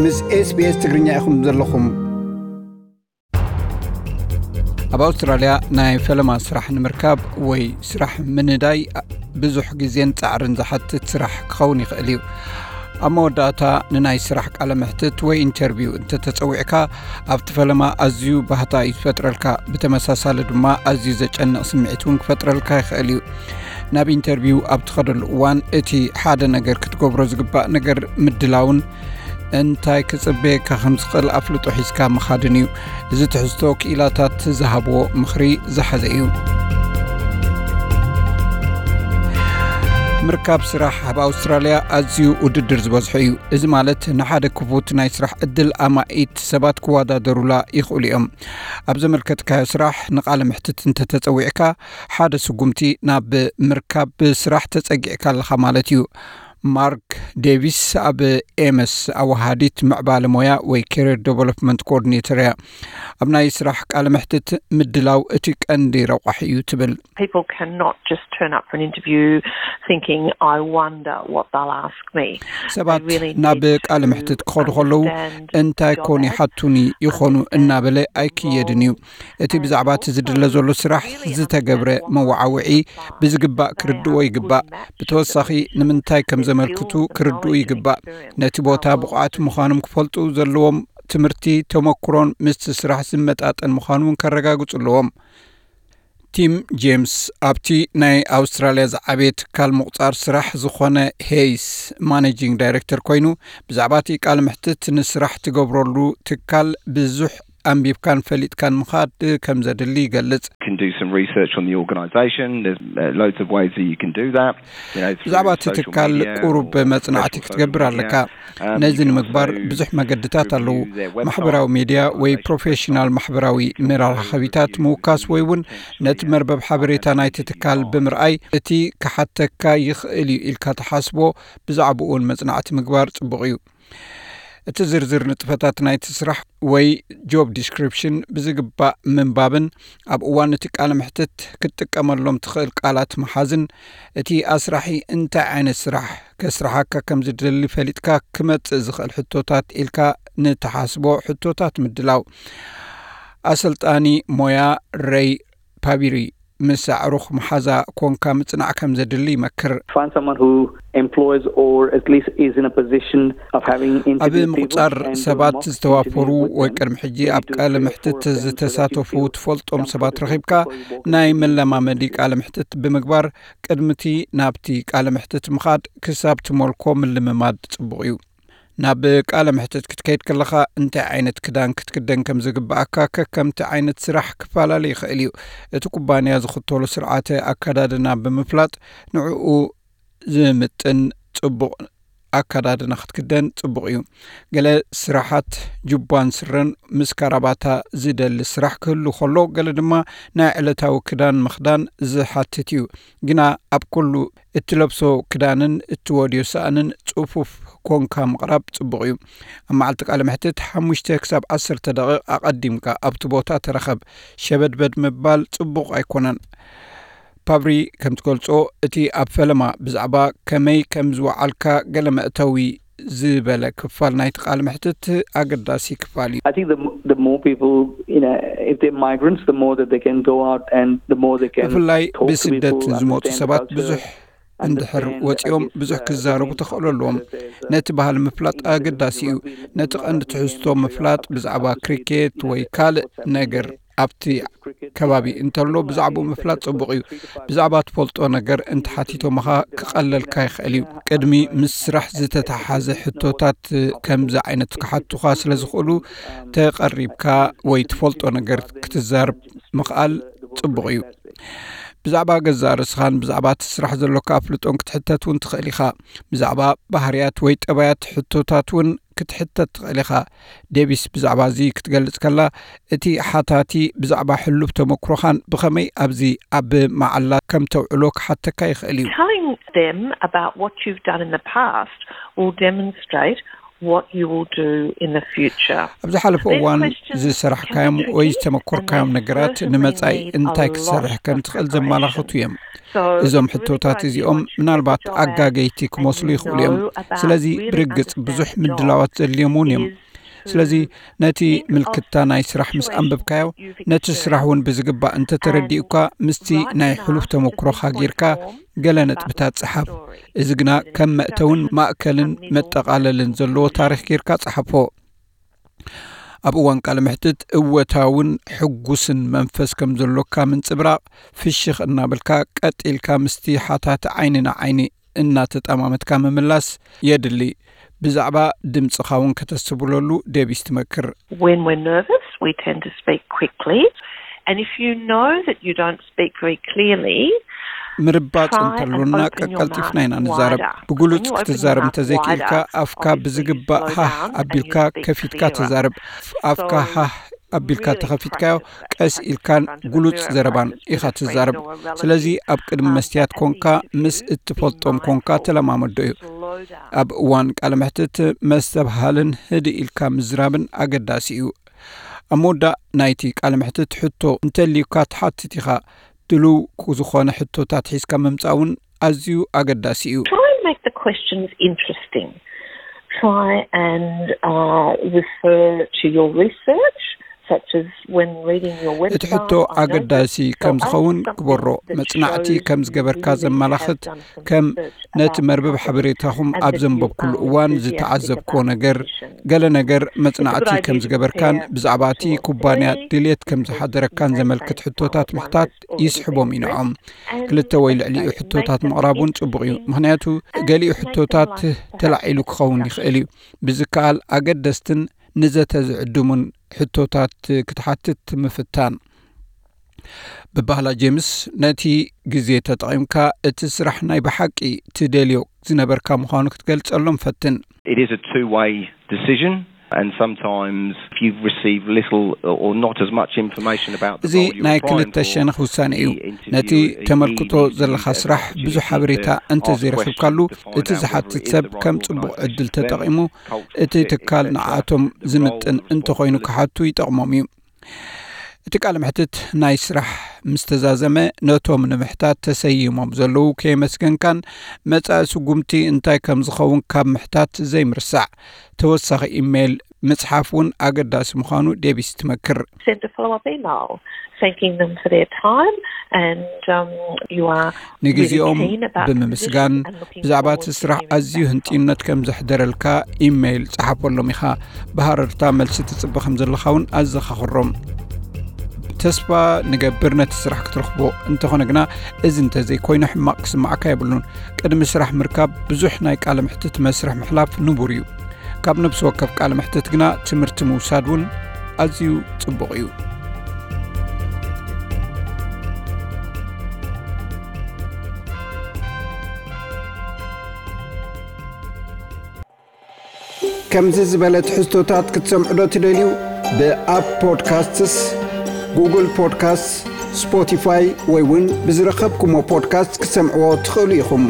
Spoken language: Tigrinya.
ምስ SBS ትግርኛ ኢኹም ዘለኹም። ኣብ ኣውስትራልያ ናይ ፈለማ ስራሕ ንምርካብ ወይ ስራሕ ምንዳይ ብዙሕ ግዜን ጻዕርን ዝሓትት ስራሕ ክኸውን ይኽእል እዩ። ኣብ መወዳእታ ንናይ ስራሕ ቃለ መሕትት ወይ ኢንተርቪው እንተተጸዊዕካ፣ ኣብቲ ፈለማ ኣዝዩ ባህታ እዩ ዝፈጥረልካ። ብተመሳሳሊ ድማ ኣዝዩ ዘጨንቕ ስምዒት እውን ክፈጥረልካ ይኽእል እዩ። ናብ ኢንተርቪው ኣብ ትኸደሉ እዋን እቲ ሓደ ነገር ክትገብሮ ዝግባእ ነገር ምድላውን እንታይ ክጽበየካ ከም ዝኽእል ኣፍልጦ ሒዝካ ምኻድን እዩ። እዚ ትሕዝቶ ክኢላታት ዝሃብዎ ምኽሪ ዝሓዘ እዩ። ምርካብ ስራሕ ኣብ ኣውስትራልያ ኣዝዩ ውድድር ዝበዝሖ እዩ። እዚ ማለት ንሓደ ክፉት ናይ ስራሕ ዕድል ኣማኢት ሰባት ክወዳደሩላ ይኽእሉ እዮም። ኣብ ዘመልከትካዮ ስራሕ ንቃለ ምሕትት እንተተጸዊዕካ፣ ሓደ ስጉምቲ ናብ ምርካብ ስራሕ ተጸጊዕካ ኣለኻ ማለት እዩ። ማርክ ዴቪስ ኣብ ኤመስ ኣወሃዲት ምዕባለ ሞያ ወይ Career Development Coordinator እያ። ኣብ ናይ ስራሕ ቃለ መሕትት ምድላው እቲ ቀንዲ ረቋሒ እዩ ትብል። People cannot just turn up for an interview thinking, "I wonder what they'll ask me." ሰባት ናብ ቃለ መሕትት ክኸዱ ከለዉ እንታይ ኮን ይሓቱኒ ይኾኑ እናበለ ኣይክየድን እዩ። እቲ ብዛዕባ እቲ ዝድለ ዘሎ ስራሕ ዝተገብረ መወዓውዒ ብዝግባእ ክርድዎ ይግባእ። ብተወሳኺ ንምንታይ ከም ዘመልክቱ ክርድኡ ይግባእ። ነቲ ቦታ ብቑዓት ምዃኖም ክፈልጡ ዘለዎም ትምህርቲ፣ ተመክሮን ምስቲ ስራሕ ዝመጣጠን ምዃኑ እውን ከረጋግጹ ኣለዎም። ቲም ጄምስ ኣብቲ ናይ ኣውስትራልያ ዝዓበየ ትካል ምቑጻር ስራሕ ዝኾነ ሄይስ ማኔጂንግ ዳይሬክተር ኮይኑ፣ ብዛዕባ እቲ ቃለ መሕትት ንስራሕ ትገብረሉ ትካል ብዙሕ ኣንቢብካን ፈሊጥካን ምኻድ ከም ዘድሊ ይገልጽ። Can do some research on the organisation. There's uh, loads of ways that you can do that. ብዛዕባ እቲ ትካል ቁሩብ መጽናዕቲ ክትገብር ኣለካ። ነዚ ንምግባር ብዙሕ መገድታት ኣለዉ። ማሕበራዊ ሚድያ ወይ ፕሮፌሽናል ማሕበራዊ መራኸቢታት ምውካስ ወይ እውን ነቲ መርበብ ሓበሬታ ናይቲ ትካል ብምርኣይ እቲ ክሓተካ ይኽእል እዩ ኢልካ ትሓስቦ ብዛዕባኡ እውን መጽናዕቲ ምግባር ጽቡቕ እዩ። እቲ ዝርዝር ንጥፈታት ናይቲ ስራሕ ወይ ጆብ ዲስክሪፕሽን ብዝግባእ ምንባብን ኣብ እዋን እቲ ቃለ መሕትት ክትጥቀመሎም ትኽእል ቃላት ምሓዝን፣ እቲ ኣስራሒ እንታይ ዓይነት ስራሕ ከስርሓካ ከም ዝደሊ ፈሊጥካ ክመጽእ ዝኽእል ሕቶታት ኢልካ ንትሓስቦ ሕቶታት ምድላው። ኣሰልጣኒ ሞያ ሬይ ፓቢሪ ምስ ኣዕሩኽ መሓዛ ኮንካ ምጽናዕ ከም ዘድሊ ይመክር። Find someone who employs or at least is in a position of having ኣብ ምቁጻር ሰባት ዝተዋፈሩ ወይ ቅድሚ ሕጂ ኣብ ቃለ መሕትት ዝተሳተፉ ትፈልጦም ሰባት ረኺብካ ናይ መለማመዲ ቃለ መሕትት ብምግባር ቅድምቲ ናብቲ ቃለ መሕትት ምኻድ ክሳብ ትመልኮ ምልምማድ ጽቡቕ እዩ። ናብ ቃለ መሕትት ክትከይድ ከለኻ እንታይ ዓይነት ክዳን ክትክደን ከም ዝግብኣካ ከከምቲ ዓይነት ስራሕ ክፈላለ ይኽእል እዩ። እቲ ኩባንያ ዝኽተሎ ስርዓተ ኣከዳድና ብምፍላጥ ንዕኡ ዝምጥን ጽቡቕ ኣከዳድና ክትክደን ጽቡቕ እዩ። ገለ ስራሓት ጁባን ስረን ምስ ካራባታ ዝደሊ ስራሕ ክህሉ ከሎ፣ ገለ ድማ ናይ ዕለታዊ ክዳን ምኽዳን ዝሓትት እዩ። ግና ኣብ ኩሉ እትለብሶ ክዳንን እትወድዮ ሳእንን ጽፉፍ ኮንካ ምቕራብ ጽቡቕ እዩ። ኣብ መዓልቲ ቃለ መሕትት ሓሙሽተ ክሳብ ዓሰርተ ደቂቕ ኣቐዲምካ ኣብቲ ቦታ ተረኸብ። ሸበድበድ ምባል ጽቡቕ ኣይኮነን። ፓብሪ ከም ትገልጾ፣ እቲ ኣብ ፈለማ ብዛዕባ ከመይ ከም ዝወዓልካ ገለ መእተዊ ዝበለ ክፋል ናይቲ ቃለ መሕትት ኣገዳሲ ክፋል እዩ። I think the, the more people, you know, if they're migrants, the more that they can go out and the more they can ብፍላይ talk to ብስደት people, ዝመፁ understand ሰባት culture, ብዙሕ እንድሕር understand, I ወፂኦም guess, ብዙሕ uh, ክዛረቡ the ተኽእሎ ኣለዎም። importance of ነቲ ባህሊ ምፍላጥ ኣገዳሲ እዩ። ነቲ ቀንዲ ትሕዝቶ ምፍላጥ ብዛዕባ ክሪኬት ወይ ካልእ ነገር ኣብቲ ከባቢ እንተሎ ብዛዕባኡ ምፍላጥ ጽቡቕ እዩ። ብዛዕባ ትፈልጦ ነገር እንተሓቲቶምኻ ክቐለልካ ይኽእል እዩ። ቅድሚ ምስ ስራሕ ዝተተሓሓዘ ሕቶታት ከምዚ ዓይነት ክሓቱኻ ስለ ዝኽእሉ ተቐሪብካ ወይ ትፈልጦ ነገር ክትዛረብ ምኽኣል ጽቡቕ እዩ። ብዛዕባ ገዛእ ርእስኻን ብዛዕባ እቲ ስራሕ ዘሎካ ኣፍልጦን ክትሕተት እውን ትኽእል ኢኻ። ብዛዕባ ባህርያት ወይ ጠባያት ሕቶታት እውን ክትሕተት ትኽእል ኢኻ። ዴቪስ ብዛዕባ እዚ ክትገልጽ ከላ፣ እቲ ሓታቲ ብዛዕባ ሕሉፍ ተመክሮኻን ብኸመይ ኣብዚ ኣብ መዓላ ከም ተውዕሎ ክሓተካ ይኽእል እዩ። Telling them about what you've done in the past will demonstrate what you will do in the future. ኣብ ዝሓለፈ እዋን ዝሰራሕካዮም ወይ ዝተመኮርካዮም ነገራት ንመጻኢ እንታይ ክትሰርሕ ከም ትኽእል ዘመላኽቱ እዮም። እዞም ሕቶታት እዚኦም ምናልባት ኣጋገይቲ ክመስሉ ይኽእሉ እዮም። ስለዚ ብርግጽ ብዙሕ ምድላዋት ዘድልዮም እውን እዮም። ስለዚ ነቲ ምልክታ ናይ ስራሕ ምስ ኣንበብካዮ፣ ነቲ ስራሕ እውን ብዝግባእ እንተተረዲኡካ፣ ምስቲ ናይ ሕሉፍ ተመክሮኻ ጌርካ ገለ ነጥብታት ጸሓፍ። እዚ ግና ከም መእተውን ማእከልን መጠቓለልን ዘለዎ ታሪኽ ጌርካ ጸሓፎ። ኣብ እዋን ቃለ መሕትት እወታውን ሕጉስን መንፈስ ከም ዘሎካ ምንጽብራቕ፣ ፍሽኽ እናበልካ ቀጥ ኢልካ ምስቲ ሓታቲ ዓይኒ ንዓይኒ እናተጠማመትካ ምምላስ የድሊ። ብዛዕባ ድምጽኻ እውን ከተስተብህለሉ ዴቪስ ትመክር። When we're nervous, we tend to speak quickly. And if you know that you don't speak very clearly, ምርባጽ እንተሎና ቀልጢፍና ኢና ንዛረብ። ብግሉጽ ክትዛረብ እንተዘይክኢልካ፣ ኣፍካ ብዝግባእ ሃህ ኣቢልካ ከፊትካ ተዛረብ። ኣፍካ ሃህ ኣቢልካ ተኸፊትካዮ፣ ቀስ ኢልካን ግሉጽ ዘረባን ኢኻ ትዛረብ። ስለዚ ኣብ ቅድሚ መስትያት ኮንካ፣ ምስ እትፈልጦም ኮንካ ተለማመዶ እዩ። ኣብ እዋን ቃለ መሕትት መስተብሃልን ህድእ ኢልካ ምዝራብን ኣገዳሲ እዩ። ኣብ መወዳእ ናይቲ ቃለ መሕትት ሕቶ እንተልዩካ ትሓትት ኢኻ። ድሉው ዝኾነ ሕቶታት ሒዝካ ምምጻእ እውን ኣዝዩ ኣገዳሲ እዩ። Try and make the questions interesting. Try and uh, refer to your research, such as when reading your website. እቲ ሕቶ ኣገዳሲ ከም ዝኸውን ግበሮ። መጽናዕቲ ከም ዝገበርካ ዘመላኽት፣ ከም ነቲ መርበብ ሓበሬታኹም ኣብ ዘንበብኩሉ እዋን ዝተዓዘብክዎ ነገር፣ ገለ ነገር መጽናዕቲ ከም ዝገበርካን ብዛዕባ እቲ ኩባንያ ድሌት ከም ዝሓደረካን ዘመልክት ሕቶታት ምሕታት ይስሕቦም እዩ ንዕኦም። ክልተ ወይ ልዕሊኡ ሕቶታት ምቕራብ እውን ጽቡቕ እዩ። ምኽንያቱ ገሊኡ ሕቶታት ተላዒሉ ክኸውን ይኽእል እዩ። ብዝከኣል ኣገደስትን ንዘተ ዝዕድሙን ሕቶታት ክትሓትት ምፍታን። ብባህላ ጄምስ፣ ነቲ ግዜ ተጠቒምካ እቲ ስራሕ ናይ ብሓቂ ትደልዮ ዝነበርካ ምዃኑ ክትገልጸሎም ፈትን። It is a two-way decision, and sometimes if you receive little or not as much information about the እዚ role you're ናይ applying ክልተ for, ሸነኽ ውሳነ እዩ። the interview ነቲ is ተመልክቶ easy, ዘለኻ as ስራሕ opportunity ብዙሕ ሓበሬታ to ask እንተዘይረኺብካሉ፣ questions to find እቲ out whether ዝሓትት it is ሰብ the right ከም role ጽቡቕ for them, ዕድል ተጠቒሙ culture, እቲ ትካል ንዓቶም ዝምጥን እንተኾይኑ ክሓቱ ይጠቕሞም እዩ። እቲ ቃለ መሕትት ናይ ስራሕ ምስ ተዛዘመ፣ ነቶም ንምሕታት ተሰይሞም ዘለዉ ከየመስገንካን መጻኢ ስጉምቲ እንታይ ከም ዝኸውን ካብ ምሕታት ዘይምርሳዕ፣ ተወሳኺ ኢሜይል ምጽሓፍ እውን ኣገዳሲ ምዃኑ ዴቪስ ትመክር። Send a follow-up email thanking them for their time, and um, you are ንግዜኦም really keen about the ብምምስጋን፣ position and looking ብዛዕባ forward እቲ to ስራሕ hearing ኣዝዩ back from ህንጥዩነት ከም ዘሕደረልካ ኢሜይል ጸሓፈሎም ኢኻ። ብሃረርታ መልሲ ትጽበ ከም ዘለኻ እውን ኣዘኻኽሮም። ተስፋ ንገብር ነቲ ስራሕ ክትረኽቦ። እንተኾነ ግና፣ እዚ እንተዘይኮይኑ ሕማቕ ክስምዓካ የብሉን። ቅድሚ ስራሕ ምርካብ ብዙሕ ናይ ቃለ ምሕትት መስርሕ ምሕላፍ ንቡር እዩ። ካብ ነብሲ ወከፍ ቃለ ምሕትት ግና ትምህርቲ ምውሳድ እውን ኣዝዩ ጽቡቕ እዩ። ከምዚ ዝበለ ትሕዝቶታት ክትሰምዑ ዶ ትደልዩ? ብኣፕ ፖድካስትስ፣ ጉግል ፖድካስት፣ ስፖቲፋይ ወይ እውን ብዝረኸብኩሞ ፖድካስት ክትሰምዕዎ ትኽእሉ ኢኹም።